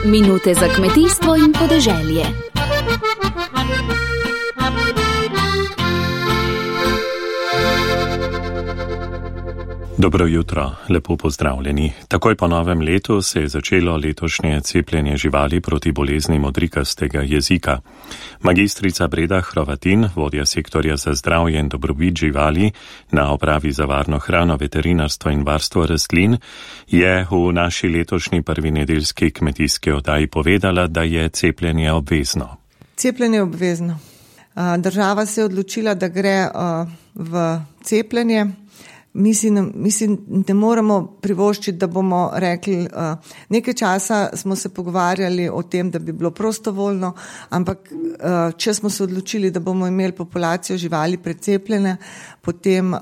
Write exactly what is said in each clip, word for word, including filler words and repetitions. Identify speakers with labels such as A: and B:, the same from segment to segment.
A: Minute za kmetijstvo in podeželje.
B: Dobro jutro, lepo pozdravljeni. Takoj po novem letu se je začelo letošnje cepljenje živali proti bolezni modrikastega jezika. Magistrica Breda Hrovatin, vodja sektorja za zdravje in dobrobit živali na Upravi za varno hrano, veterinarstvo in varstvo rastlin, je v naši letošnji prvi nedeljski kmetijski oddaji povedala, da je cepljenje obvezno.
C: Cepljenje je obvezno. Država se je odločila, da gre v cepljenje. Mislim, mislim, ne moramo privoščiti, da bomo rekli, uh, nekaj časa smo se pogovarjali o tem, da bi bilo prostovoljno, ampak uh, če smo se odločili, da bomo imeli populacijo živali precepljene, potem uh,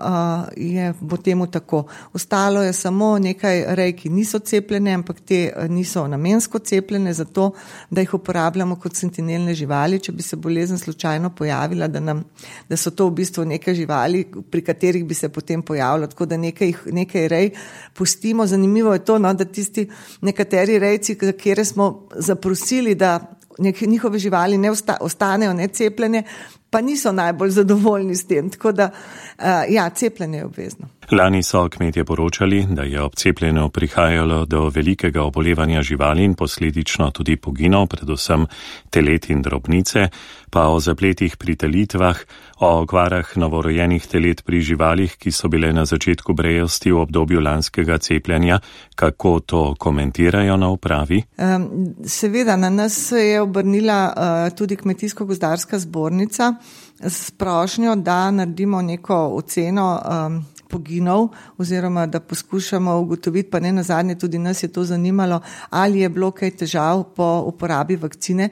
C: je, bo temu tako. Ostalo je samo nekaj rej, ki niso cepljene, ampak te niso namensko cepljene, zato da jih uporabljamo kot sentinelne živali, če bi se bolezen slučajno pojavila, da, nam, da so to v bistvu neke živali, pri katerih bi se potem pojavilo. Tako da nekaj, nekaj rej pustimo. Zanimivo je to, no, da tisti nekateri rejci, za kere smo zaprosili, da neke njihove živali ne osta, ostanejo necepljene, pa niso najbolj zadovoljni s tem. Tako da, uh, ja, cepljenje je obvezno.
B: Lani so kmetje poročali, da je ob cepljenju prihajalo do velikega obolevanja živali in posledično tudi poginov, predvsem telet in drobnice, pa o zapletih pri telitvah, o okvarah novorojenih telet pri živalih, ki so bile na začetku brejosti v obdobju lanskega cepljenja. Kako to komentirajo na upravi?
C: Um, seveda, na nas se je obrnila uh, tudi Kmetijsko-gozdarska zbornica s prošnjo, da naredimo neko oceno um, poginov oziroma da poskušamo ugotoviti, pa ne nazadnje tudi nas je to zanimalo, ali je bilo kaj težav po uporabi vakcine.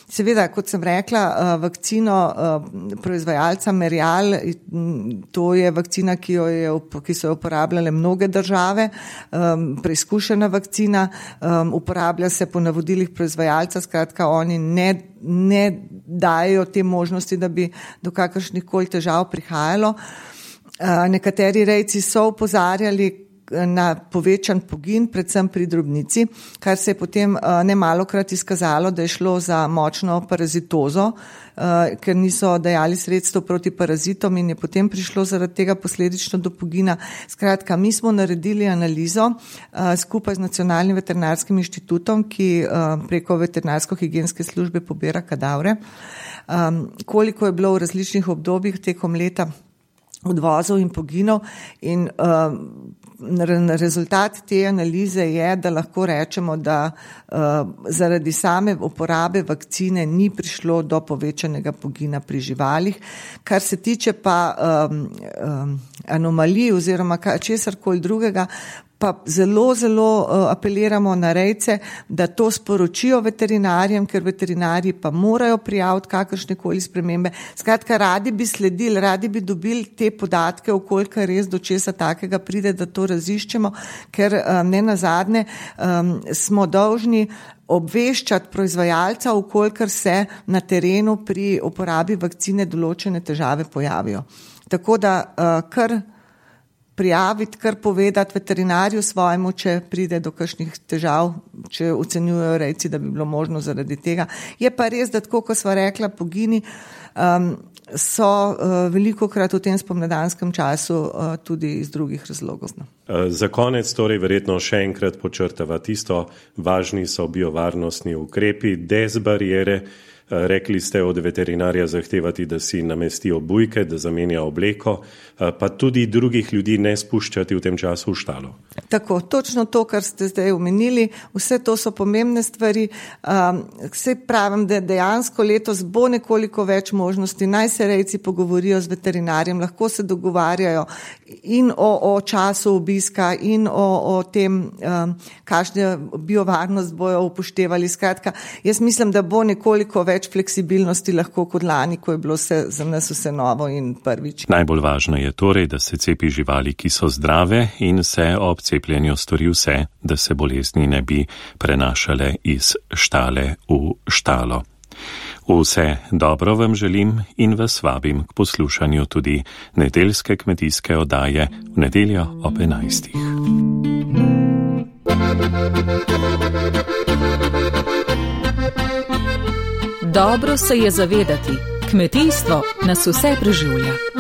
C: Seveda, kot sem rekla, vakcino proizvajalca Merial, to je vakcina, ki, jo je, ki so jo uporabljale mnoge države, preizkušena vakcina, uporablja se po navodilih proizvajalca, skratka oni ne, ne dajo te možnosti, da bi do kakršnih koli težav prihajalo. Nekateri rejci so opozarjali na povečan pogin, predvsem pri drobnici, kar se je potem nemalokrat izkazalo, da je šlo za močno parazitozo, ker niso dajali sredstev proti parazitom in je potem prišlo zaradi tega posledično do pogina. Skratka, mi smo naredili analizo skupaj z Nacionalnim veterinarskim inštitutom, ki preko veterinarsko-higienske službe pobira kadavre, koliko je bilo v različnih obdobjih tekom leta odvozov in poginov in uh, rezultat te analize je, da lahko rečemo, da uh, zaradi same uporabe vakcine ni prišlo do povečanega pogina pri živalih. Kar se tiče pa um, um, anomalij oziroma česarkoli drugega, pa zelo, zelo uh, apeliramo na rejce, da to sporočijo veterinarjem, ker veterinarji pa morajo prijaviti kakršne koli spremembe. Skratka, radi bi sledili, radi bi dobili te podatke, okoliko res do česa takega pride, da to raziščemo, ker um, ne nazadnje um, smo dolžni obveščati proizvajalca, okolikor se na terenu pri uporabi vakcine določene težave pojavijo. Tako da uh, kar prijaviti, kar povedati veterinarju svojemu, če pride do kakšnih težav, če ocenjujejo rejci, da bi bilo možno zaradi tega. Je pa res, da tako, ko sva rekla, pogini um, so uh, velikokrat v tem spomladanskem času uh, tudi iz drugih razlogov.
D: Za konec torej verjetno še enkrat počrtava tisto, važni so biovarnostni ukrepi, dezbariere. Rekli ste od veterinarja zahtevati, da si namesti obujke, da zamenja obleko, pa tudi drugih ljudi ne spuščati v tem času v štalo.
C: Tako, točno to, kar ste zdaj omenili, vse to so pomembne stvari. Vse pravim, da dejansko letos bo nekoliko več možnosti, naj se rejci pogovorijo z veterinarjem, lahko se dogovarjajo in o, o času obiska in o, o tem, kakšne biovarnost bojo upoštevali. Skratka, jaz mislim, da bo nekoliko več več fleksibilnosti lahko kot lani, ko je bilo vse, za nas vse novo in prvič.
B: Najbolj važno je torej, da se cepi živali, ki so zdrave in se ob cepljenju stori vse, da se bolezni ne bi prenašale iz štale v štalo. Vse dobro vam želim in vas vabim k poslušanju tudi nedeljske kmetijske oddaje v nedeljo ob enajstih.
A: Dobro se je zavedati, kmetijstvo nas vse preživlja.